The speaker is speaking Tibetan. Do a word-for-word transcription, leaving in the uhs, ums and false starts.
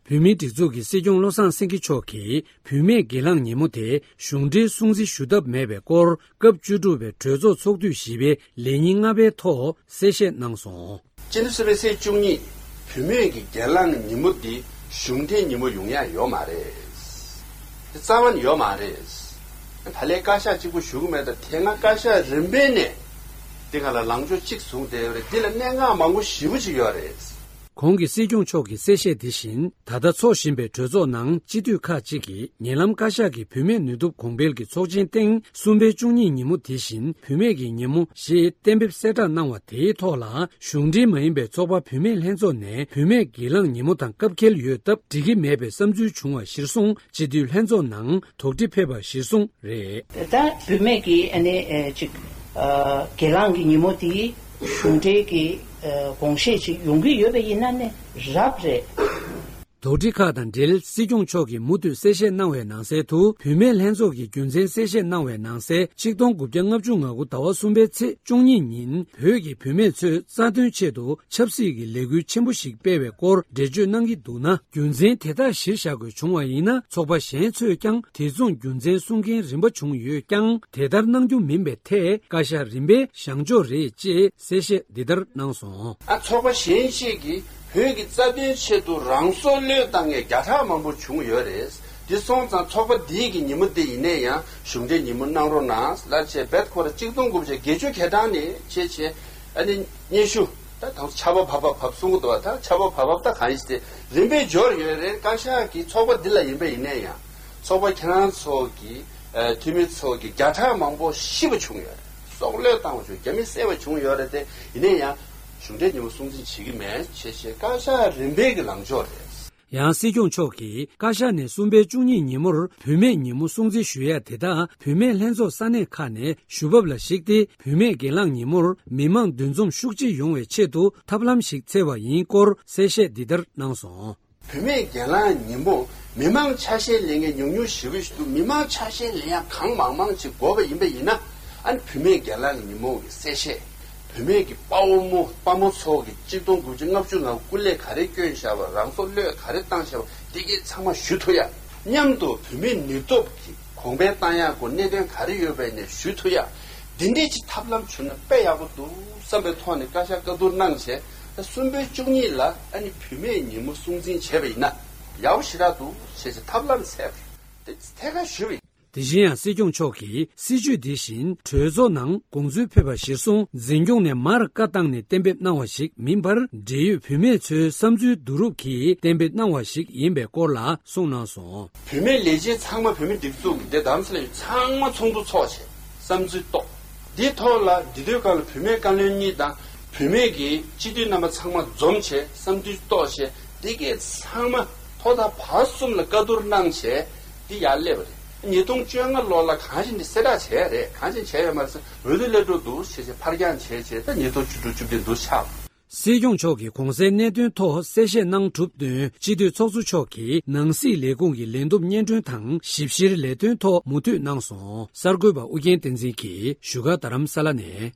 བོད་མིའི་སྒྲིག་འཛུགས་ཀྱི་སྲིད་སྐྱོང་བློ་བཟང་སེང་གེ་མཆོག་གིས་བུད་མེད་སྒེར་ལངས་ཉིན་མོ་དེ་གཞུང་འབྲེལ་སྲུང་བརྩི་ཞུ་ཐབས་མེད་པའི་སྐོར། སྐབས་བཅུ་དྲུག་པའི་གྲོས་ཚོགས་ཚོགས་དུས་བཞི་པའི་ལས་ཉིན་ལྔ་པའི་ཐོག་གསལ་བཤད་གནང་སོང་། སྤྱི་ཟླ་གསུམ་པའི་ཚེས་བཅུ་གཉིས་བུད་མེད་ཀྱི་སྒེར་ལངས་ཉིན་མོ་འདི་གཞུང་འབྲེལ་ཉིན་མོ་ཡོང་ཡ་ཡོད་མ་རེད། དེ་རྩ་བ་ནས་ཡོད་མ་རེད། ད་ལན་བཀའ་ཤག་གཅིག་པུ་ཞུ་གི་མེད། ད་དེ་སྔ་བཀའ་ཤག་རིམ་པས་ནས་འདི་ག་ལ་ལངས་ཕྱོགས་གཅིག་བཟུང་བསྡད་ཡོད་རེད། འདི་ལ་གནད་འགག་མང་པོ་ཞེ་པོ་ཅིག་ཡོད་རེད། གོང་གི་སྲིད་སྐྱོང་མཆོག་གི་གསལ་བཤད་དེ་བཞིན། ད་ལྟ་འཚོགས་བཞིན་པའི་གྲོས་ཚོགས་ནང་སྤྱི་འཐུས་ཁག་ཅིག་གིས་ཉེ་ལམ་བཀའ་ཤག་གིས་བུད་མེད་ནུས་སྟོབས་གོང་འཕེལ་གྱི་ཚོགས་ཆེན་སྟེང་གསུམ་པའི་བཅུ་གཉིས་ཉིན་མོ་དེ་བཞིན་བུད་མེད་ཀྱི་ཉིན་མོ་ཞེས་གཏན་འབེབས་གསལ་བསྒྲགས་གནང་བ་དེའི་ཐོག་ལ། གཞུང་འབྲེལ་མ་ཡིན་པའི་ཚོགས་པ་བུད་མེད་ལྷན་ཚོགས་ནས་བུད་མེད་སྒེར་ལངས་ཉིན་མོ་དང་སྐབས་འཁེལ་ཡོད་སྟབས་འགྲིག་གི་མེད་པའི་བསམ་ཚུལ་བྱུང་བ་གཞིར་བཟུང་སྤྱི་འཐུས་ལྷན་ཚོགས་ནང་དོགས་འདྲི་ཕེབས་པ་གཞིར་བཟུང་རེད། ད་བུད་མེད་ཀྱི་ཨ་ནི་ཨེ་ཅིག་ཨ་སྒེར་ལངས་ཀྱི་ཉིན་མོ་དེ་གཞུང་འབྲེལ་གྱི་ཨ་དགོངས་བཞེས་ཅིག་ཡོང་གི་ཡོད་པ་ཡིན་ན་ནི་རབ་རེད། དོགས་འདྲི་ཁག་དང་འབྲེལ་སྲིད་སྐྱོང་མཆོག་གིས་མུ་མཐུད་གསལ་བཤད་གནང་བའི་ནང་གསལ་དུ། བུད་མེད་ལྷན་ཚོགས་ཀྱི་རྒྱུ་མཚན་གསལ་བཤད་གནང་བའི་ནང་གསལ། ཆིག་སྟོང་དགུ་བརྒྱ་ལྔ་བཅུ་ང་དགུ་ཟླ་བ་གསུམ་པའི་ཚེས་བཅུ་གཉིས་ཉིན་བོད་ཀྱི་བུད་མེད་ཚོས་རྩ་དོན་ཆེད་དུ་ཆབ་སྲིད་ཀྱི་ལས་འགུལ་ཆེན་པོ་ཞིག་སྤེལ་བའི་སྐོར་འགྲེལ་བརྗོད་གནང་གི་འདུག་ན། རྒྱུ་མཚན་དེ་དག་གཞིར་བཞག་དགོས་བྱུང་བ་ཡིན་ན། ཚོགས་པ་གཞན་ཚོས་ཀྱང་དེ་མཚུངས་རྒྱུ་མཚན་གསུང་མཁན་རིམ་པ་བྱུང་ཡོད་ཀྱང་། དེ་ལྟར་གནང་རྒྱུ་མིན་པའི་ཐད་བཀའ་ཤག་རིམ་པས་བཞེངས་ཕྱོགས་རེད་ཅེས་གསལ་བཤད་འདི་ལྟར་གནང་སོང་། ཨ་ཚོགས་པ་གཞན་ཞིག་གིས་བོད་ཀྱི་རྩ་དོན་ཆེད་དུ་རང་སྲོག་བློས་བཏང་མཁན་བརྒྱ་ཕྲག་མང་པོ་བྱུང་ཡོད་རེད། འདི་སོང་ཙང་ཚོགས་པ་འདིའི་གི་ཉིན་མོ་འདི་ཡིན་ནའི་ཡང་གཞུང་འབྲེལ་ཉིན་མོ་གནང་རོགས་གནང་ལབ་བྱས། རྦད་ཁོ་ར་གཅིག་སྟོང་དགུ་བརྒྱ་བརྒྱད་ཅུ་གྱ་གྲངས་ནས་བྱས་བྱས་ཨ་ནི་སྙན་ཞུ་ད་དང་ཆར་པ་བབས་པ་བབས་གསུང་གི་འདུག་བ། ད་ཆར་པ་བབས་བབས་ད་གང་ཡིན་ཟེར་རིམ་པས་འབྱོར་ཡོད་རེད། བཀའ་ཤག་གི་ཚོགས་པ་འདི་ལ་ཡིན་པ་ཡིན་ནའི་ཡང་ཚོགས་པ་ཁྱེད་རང་ཚོ་གི་ཨ་འཐུས་མི་ཚོ་གི་བརྒྱ་ཕྲག་མང་པོ་ཤི་བ་བྱུང་ཡོད་རེད། སྲོག་བློས་བཏང་བ་བྱུང་། རྒྱ་མི་བསད་པ་བྱུང་ཡོད་རེད་དེ། ཡིན་ནའི་ཡང་གཞུང་འབྲེལ་ཉིན་མོ་སྲུང་བརྩི་བྱེད་ཀྱི་མེད་བྱས་བྱས་བཀའ་ཤག་རིམ་པས་ཀྱི་ལངས་ཕྱོགས་རེད། ཡང་སྲིད་སྐྱོང་མཆོག་གིས་བཀའ་ཤག་ནས་གསུམ་པའི་བཅུ་གཉིས་ཉིན་མོར་བུད་མེད་ཉིན་མོ་སྲུང་བརྩི་ཞུ་ཡ་དེ་དག་བུད་མེད་ལྷན་ཚོགས་ས་གནས་ཁག་ནས་ཞུ་བབ་ལ་གཞིགས་ཏེ། བུད་མེད་སྒེར་ལངས་ཉིན་མོར་མི་མང་འདུ་འཛོམས་ཤུགས་ཆེ་ཡོང་བའི་ཆེད་དུ་ཐབས་ལམ་ཞིག་འཚོལ་བ་ཡིན་སྐོར་གསལ་བཤད་འདི་ལྟར་གནང་སོང་། བུད་མེད་སྒེར་ལངས་ཉིན་མོ་མི་མང་ཆ་ཤས་ལེན་མཁན་ཉུང་ཉུང་ཞེ་པོ་ཞིག་འདུག་མི་མང་ཆ་ཤས་ལེན་ཡ་གང་མང་མང་ཅིག་དགོས་པ་ཡིན་པ་ཡིན་ན། ཨ་ནི་བུད་མེད་སྒེར་ལངས་ཉིན་མོ་གི་གསལ་བཤད། བུད་མེད་ཀྱི་དཔའ་བོ་མོ་དཔའ་མོ་ཚོ་གི་གཅིག་སྟོང་དགུ་བརྒྱ་ལྔ་བཅུ་ང་དགུ་སྐུ་ལས་ག་རེ་བསྐྱོན་བཞག་པ། རང་སྲོག་བློས་ག་རེ་བཏང་བཞག་པ། འདི་གས་ཚང་མ་ཞུ་ཐུབ་ཡ། མཉམ་དུ་བུད་མེད་ནུས་སྟོབས་ཀྱི་གོང་འཕེལ་བཏང་ཡག་སྐོར་གནད་དོན་ག་རེ་ཡོད་པའི་ནས་ཞུ་ཐུབ་ཡ། འདི་འདྲས་ཀྱི་ཐབས་ལམ་བྱུང་ན་དཔེ་ཡག་པོ་འདུག་བསམ་པའི་ཐོག་ནས་བཀའ་ཤག་བཀའ་བསྡུར་གནང་བྱས། ད་གསུམ་པའི་བཅུ་གཉིས་ལ་ཨ་ནི་བུད་མེད་ཉིན་མོ་སྲུང་འཛིན་བྱས་པ་ཡིན་ན་ཡག་པོ་ཞེ་དྲག་འདུག་བྱས་བྱས་ཐབས་ལམ་འཚོལ་བ་དེ་ཐད་ཀར་ཞུས་པ་ཡིན། དེ་བཞིན་ཡང་སྲིད་སྐྱོང་མཆོག་གིས་སྲིད་བྱུས་འདི་བཞིན་གྲོས་ཚོགས་ནང་དགོངས་ཚུལ་ཕེབས་པ་གཞིར་བཟུང་འཛིན་སྐྱོང་ནས་མར་བཀའ་བཏང་ནས་གཏན་འབེབས་གནང་བ་ཞིག་མིན་པར། འབྲེལ་ཡོད་བུད་མེད་ཚོའི་བསམ་ཚུལ་བསྡུ་རུབ་ཀྱིས་གཏན་འབེབས་གནང་བ་ཞིག་ཡིན་པའི་སྐོར་ལ་གསུངས་གནང་སོང་། བུད་མེད་ལས་བྱེད་ཚང་མ་བུད་མེད་སྒྲིག་འཛུགས་ཀྱི་དེ་དམ་ཚིག་ལ་ཡོད་ཚང་མ་ཚོགས་འདུ་ཚོགས་བྱས་བསམ་ཚུལ་རྟོགས། འདིའི་ཐོག་ལ་འདི་དུས་སྐབས་ལ་བུད་མེད་བཀའ་བློན་གཉིས་དང་བུད་མེད་ཀྱི་སྤྱི་འཐུས་རྣམ་པ་ཚང་མ་འཛོམས་བྱས་བསམ་ཚུལ་རྟོགས་བྱས། འདི་གས་ཚང་མ་ཐོག་མཐའ་བར་གསུམ་ལ་བཀའ་བསྡུར་གནང་བྱས་འདི་ཡར་སླེབས་པ་རེད། ཉིས་སྟོང་བཅོ་ལྔ་ལོ་ལ་གང་ཞིག་འདི་གསལ་བསྒྲགས་བྱས་རེད། གང་ཞིག་བྱས་ཡོད་མ་རེད་ཟེར། འོས་བསྡུ་སླེབས་འགྲོ་འདུག་བྱས་བྱས་ཕར་འགྱངས་བྱས་བྱས་ད་ཉིས་སྟོང་བཅུ་དྲུག་བཅུ་བདུན་འདུག་ཆགས། སྲིད་སྐྱོང་མཆོག་གིས་གོང་གསལ་གནད་དོན་ཐོག་གསལ་བཤད་གནང་གྲུབ་བསྟུན། སྤྱི་འཐུས་ཚོགས་གཙོ་མཆོག་གིས་ནང་སྲིད་ལས་ཁུངས་ཀྱི་ལས་བསྡོམས་སྙན་སྒྲོན་དང་ཞིབ་བཤེར་ལས་དོན་ཐོག་མུ་མཐུད་གནང་སོང་། གསར་འགོད་པ་ཨུ་རྒྱན་བསྟན་འཛིན་གྱིས་བཞུགས་སྒར་རྡ་རམ་ས་ལ་ནས།